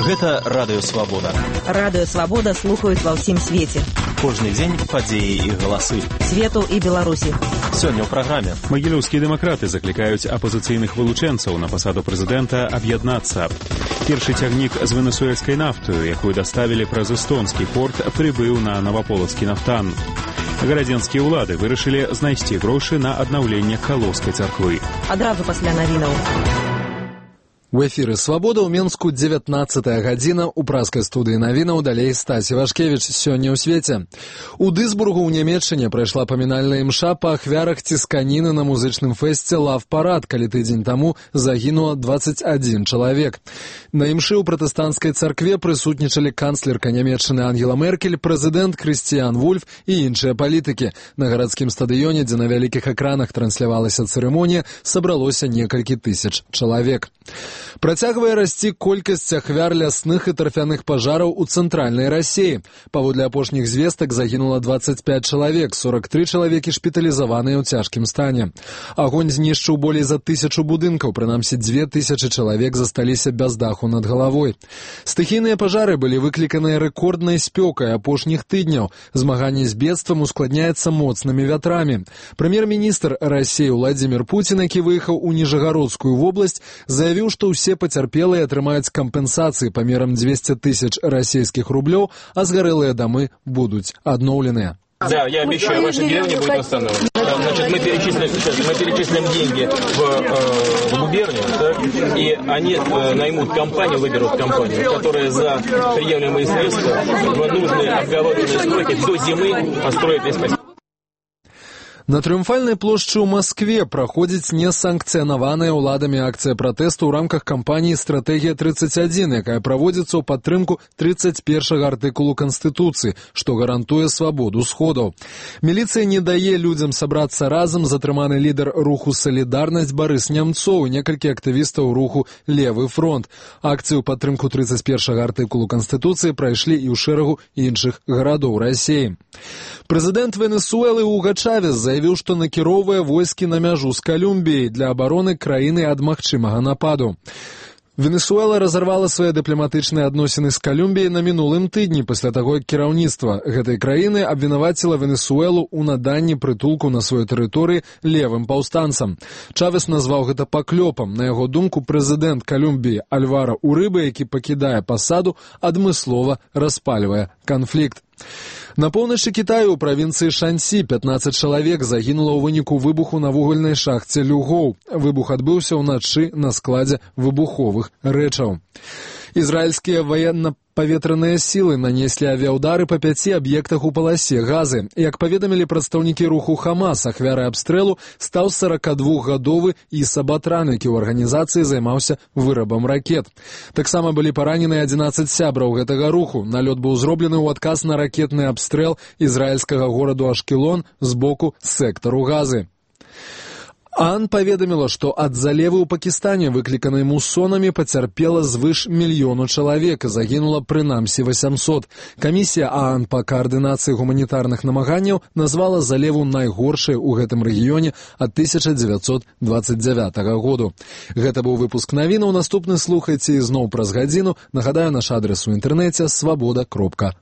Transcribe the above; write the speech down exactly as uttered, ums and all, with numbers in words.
Гэта Радыё Свабода. Радыё Свабода слухаюць ва ўсім свеце. Кожны дзень падзеі і галасы. Свету і Беларусі. Сёння ў праграме. Магілёўскія дэмакраты заклікаюць апазіцыйных вылучэнцаў на пасаду прэзідэнта аб'яднацца. Першы цягнік з венесуэльскай нафтою, якую даставілі праз эстонскі порт, прыбыў на Наваполацкі нафтан. Гарадзенскія ўлады вырашылі знайсці грошы на аднаўленне Калоўскай царквы. Адразу пасля навінаў. У эфіры «Свабода» ў Менску дзевятнаццатая гадзіна. У праскай студыі навінаў далей Стасі Вашкевіч. Сёння ў свеце. У Дысбургу ў Нямецчыне прайшла памінальная імша па ахвярах цісканіны на музычным фэсце «Лав-парад», калі тыдзень таму загінула дваццаць адзін чалавек. На імшы ў пратэстанцкай царкве прысутнічалі канцлерка Нямецчыны Ангела Меркель, прэзідэнт Крыстіян Вульф і іншыя палітыкі. На гарадскім стадыёне, дзе на вялікіх экранах транслявалася цырымонія, сабралося некалькі тысяч чалавек. Працягвае расці колькасць ахвяр лясных і тарфяных пажараў у цэнтральнай Расіі. Паводле апошніх звестак загінула дваццаць пяць чалавек, сорок тры чалавекі шпіталізаваныя ў цяжкім стане. Агонь знішчыў болей за тысячу будынкаў, прынамсі дзве тысячы чалавек засталіся без даху над галавой. Стыхійныя пажары былі выкліканыя рэкорднай спёкай апошніх тыдняў. Змаганне з бедствам ускладняецца моцнымі вятрамі. Прэм'ер-міністр Расіі Владзімір Пуцін, які выехаў у Ніжагародскую вобласць, заявіў, што ўсе пацярпелыя атрымаюць кампенсацыі памерам дзвесце тысяч расійскіх рублёў, а згарэлыя дамы будуць адноўленыя. Да, я обещаю, ваша деревня будет восстановлена. Значит, мы перечислим сейчас, мы перечислим деньги в, э, в губернию, да, и они э, наймут компанию, выберут компанию, которая за приемлемые средства в нужные обговоренные сроки до зимы построит весь поселок. На Трыумфальнай плошчы ў Маскве праходзіць несанкцыянаваная ўладамі акцыя пратэсту ў рамках кампаніі «Стратэгія тридцать один», якая праводзіцца ў падтрымку тридцать першага артыкулу Канстытуцыі, што гарантуе свабоду сходаў. Міліцыя не дае людзям сабрацца разам, затрыманы лідар руху «Салідарнасць» Барыс Нямцоў і некалькі актывістаў руху «Левы фронт». Акцыю ў падтрымку тридцать першага артыкулу Канстытуцыі прайшлі і ў шэрагу іншых гарадоў Расіі. Прэзідэнт Венесуэлы Уга Чавес заявіў, што накіроўвае войскі на мяжу з Калумбіяй для абароны краіны ад магчымага нападу. Венесуэла разарвала свае дыпламатычныя адносіны з Калумбіяй на мінулым тыдні пасля таго, як кіраўніцтва гэтай краіны абвінаваціла Венесуэлу ў наданні прытулку на сваёй тэрыторыі левым паўстанцам. Чавес назваў гэта паклёпам. На яго думку, прэзідэнт Калумбіі Альвара Урыба, які пакідае пасаду, адмыслова распальвае канфлікт. На поўначы Кітаю ў правінцыі Шансі пятнаццаць чалавек загінула ў выніку выбуху на вугальнай шахце Люгоў. Выбух адбыўся ўначы на складзе выбуховых рэчаў. Ізраільскія военно-паветраныя сілы нанеслі авіаудары па пяці аб'ектах у паласе Газы. Як паведамілі прадстаўнікі руху Хамас, ахвярай абстрэлу стаў сорокадвухгадовы Іса Батран, які ў арганізацыі займаўся вырабам ракет. Таксама былі паранены адзінаццаць сябраў гэтага руху. Налёт быў зроблены ў адказ на ракетны абстрэл ізраільскага гораду Ашкелон з боку сектару Газы. ААН паведаміла, што ад залевы ў Пакістане, выкліканай мусонамі, пацярпела звыш мільёну чалавек і загінула прынамсі васямсот. Камісія ААН па каардынацыі гуманітарных намаганняў назвала залеву найгоршай у гэтым рэгіёне ад тысяча дзевяцьсот дваццаць дзявятага году. Гэта быў выпуск навінаў. Наступны слухайце ізноў праз гадзіну. Нагадаю, наш адрес у інтэрнэце свабода кропка